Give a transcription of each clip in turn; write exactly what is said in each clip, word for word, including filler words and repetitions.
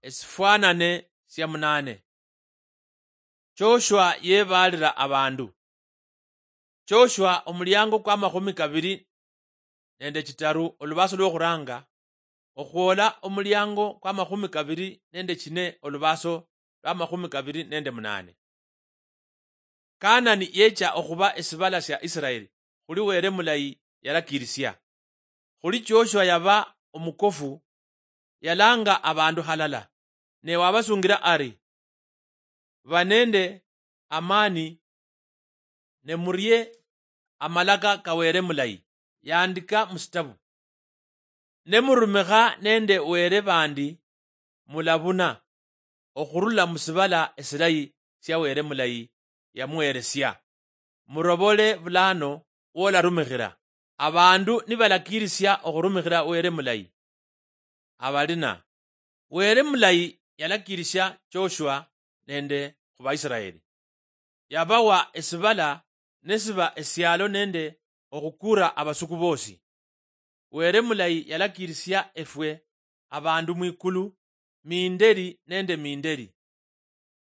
Esifwanane sia munane. Joshua yebaalira abandu. Joshua omuliango kwa makhumi kabiri nende chitaru olubaso lwokhuranga okhwola omuliango kwa makhumi kabiri nende chine olubaso lwa makhumi kabiri nende munane. Kanani yecha okhuba esibala sia Isiraeli khuli Wele mulayi yalakirisia. Khuli Joshua yaba omukofu, yalanga abandu halala, ne wabasungira ari, ba nende amani, ne murie amalaka ka Wele mulayi yandika musitabu. Ne murumikha nende Wele bandi, mulabuna okhurula musibala esilayi sia Wele mulayi yamuheresia. Murobole bulano wolarumikhira. Abandu nibalakirisia okhurumikhira Wele mulayi, abalina Wele mulayi yalakirisia Joshua nende khubaisiraeli. Yabawa esibala nesiba esialo nende okhukura abasuku bosi. Wele mulayi yalakirisia efwe abandu mwikulu mindeli nende mindeli.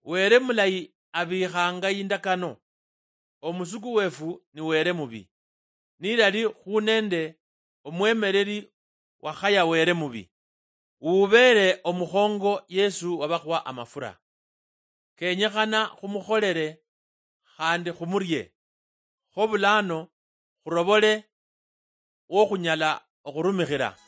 Wele mulayi abikhanga indakano. Omusuku wefu ni Wele mubi, nilali khu nende omwemeleli wakhaya Wele mubi, ubeele omukhongo Yesu wabakhwa amafura. Kenyekhana khumukholele khandi khumurie, kho bulano khurobole wokhunyala okhurumikhira.